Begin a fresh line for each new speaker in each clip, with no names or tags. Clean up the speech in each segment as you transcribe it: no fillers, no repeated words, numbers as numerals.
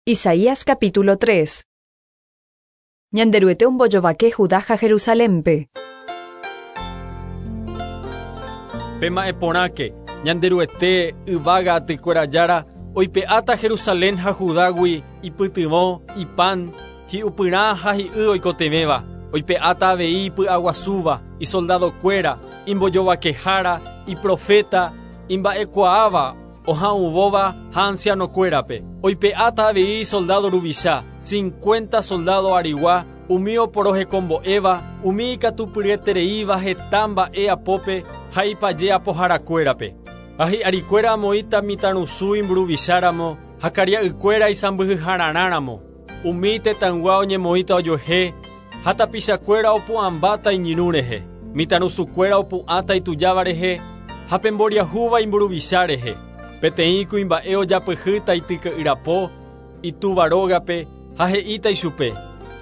Isaías capítulo 3. Ñanderuete ombojovake Judá ha Jerusalénpe.
Pema'ẽ porãke, Ñanderuete, yvága atykuéra Jára, oipe'áta Jerusalén ha Judágui ipytyvõ, ipan, hi'upyrã ha hi'y oikotevẽva, oipe'áta avei ipy'aguasúva, isoldadokuéra, imbojovakehára, iproféta, imba'ekuaáva, Oha'uvóva ha ansianokuérape, oipe'áta avei isoldádo ruvicha, cincuenta soldádo arigua, umi oporohekombo'éva, umi ikatupyryetereíva heta mba'e apópe ha ipaje apoharakuérape. Ha hi'arikuéra amoĩta mitãrusu imburuvicháramo ha karia'ykuéra isãmbyhyhararãramo. Umi tetãygua oñemoĩta ojuehe ha tapichakuéra opu'ãmbáta iñirũ rehe, mitãrusukuéra opu'ãta itujáva rehe ha pe mboriahúva imburuvicha rehe. Peteĩ kuimba'e ojapyhýta ityke'yrapo itúva rógape ha he'íta ichupe,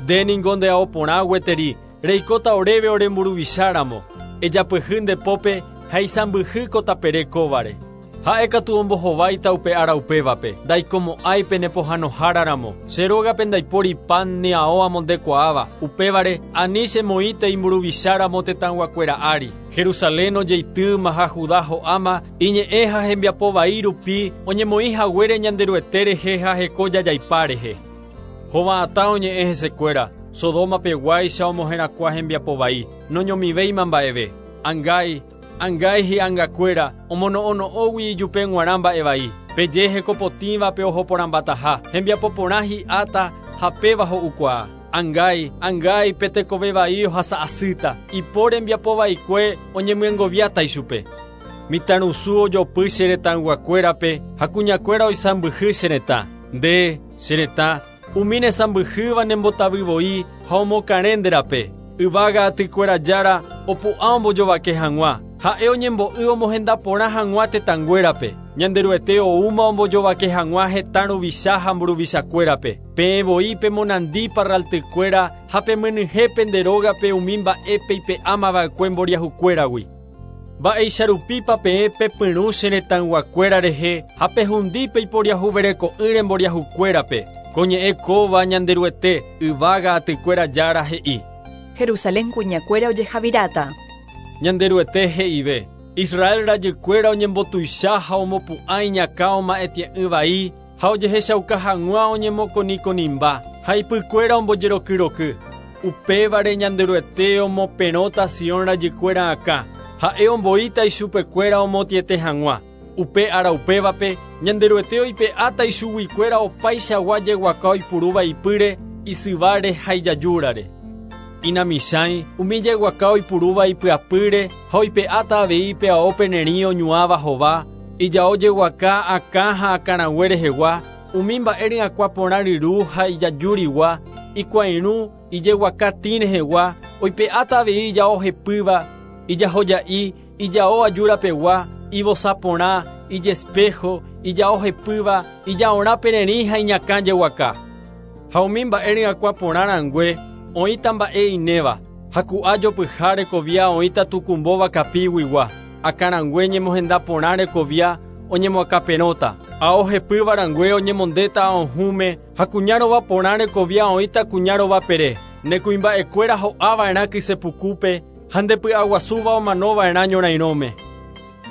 Nde ningo nde ao porã gueteri, reikóta oréve ore mburuvicha ramo, ejapyhy nde pópe ha isãmbyhy ko tapere kóvare. Ha'e katu ombohováita upe ára upévape, Ndaikomo'ãi pene pohãnohára ramo. Che rógape ndaipóri pan ni ao amondekuaáva, upévare, ani chemoĩtei mburuvicha ramo tetãyguakuéra ári. Jerusalén ojeitýma ha Judá ho'áma, iñe'ẽ ha hembiapo vai rupi oñemoĩ haguére Ñanderuete rehe ha heko jajaipa rehe. Hova'atã oñe'ẽ hesekuéra, Sodoma peguáicha omoherakuã hembiapo vai, noñomivéima mba'eve. Angái, Angái hi'angakuéra omono'õno'õgui ijupe g̃uarã mba'e vai, peje heko potĩvape oho porãmbataha, hembiapo porã hi'áta ha péva ho'ukuaa. Angái, angái pe tekove vai ohasa asýta, ipo rembiapo vaikue oñemyengoviáta ichupe. Mitãrusu ojopy che retãyguakuérape ha kuñakuéra oisãmbyhy che retã. Nde, che retã, Umi nesãmbyhýva nembotavy voi ha omokarẽ nde rape. Yvága atykuéra Jára opu'ã ombojovake hag̃ua, ha'e oñembo'y omohenda porã hag̃ua tetãnguérape. Ñanderuete oúma ombojovake hag̃ua hetã ruvicha ha mburuvichakuérape. Peẽ voi pemonandi parraltykuéra ha pemyenyhẽ pende rógape umi mba'e peipe'ámava'ekue mboriahukuéragui. Mba'éicha rupípa peẽ pepyrũ che retãyguakuéra rehe ha pehundi peiporiahuvereko'ỹre mboriahukuérape? Ko ñe'ẽ kóva Ñanderuete, yvága atykuéra Jára he'i.
Jerusalén kuñakuéra ojehaviráta.
Ñanderuete he'ive, Israel rajykuéra oñembotuicha ha omopu'ã iñakã oma'ẽtie'ỹ vai ha ojehechauka hag̃ua oñemokonikonimba ha ipykuéra ombojerokyroky. Upévare Ñanderuete omoperõta Sion rajykuéra akã, ha'e omboíta ichupekuéra omotĩete hag̃ua. Upe ára upévape, Ñanderuete oipe'áta ichuguikuéra opaichagua jeguaka oipurúva ipýre, isyváre ha ijajúrare. Inamichãi, umi jeguaka oipurúva ipyapýre ha oipe'áta avei pe ao pererĩ oñuãva hova, ijao jeguaka akã ha akãrague rehegua, Umi mba'e ryakuã porã ryru ha ijajúrigua, ikuãirũ, ijeguaka tĩ rehegua, oipe'áta avei ijao hepýva, ijahoja'i, ijao ajúra pegua, ivosa porã, ijespého, ijao hepýva, ijaorã pererĩ ha iñakã jeguaka. Ha umi mba'e ryakuã porã rangue, oĩta mba'e inéva, ha ku'a jopyha rekovia oĩta tukumbóva kapiguigua, akãrangue ñemohenda porã rekovia oñemoakãperõta, ao hepýva rangue oñemondéta aohũme ha kuña rova porã rekovia oĩta kuña rova pere. Ne kuimba'ekuéra ho'a va'erã kyse pukúpe ha nde py'aguasúva omano va'erã ñorairõme.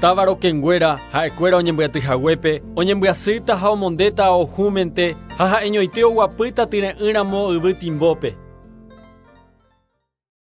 Táva rokẽnguéra, ha'ekuéra oñembyaty haguépe, oñembyasýta ha omondéta aohũmente ha ha'eñoite oguapýta tyre'ỹ ramo yvy timbópe.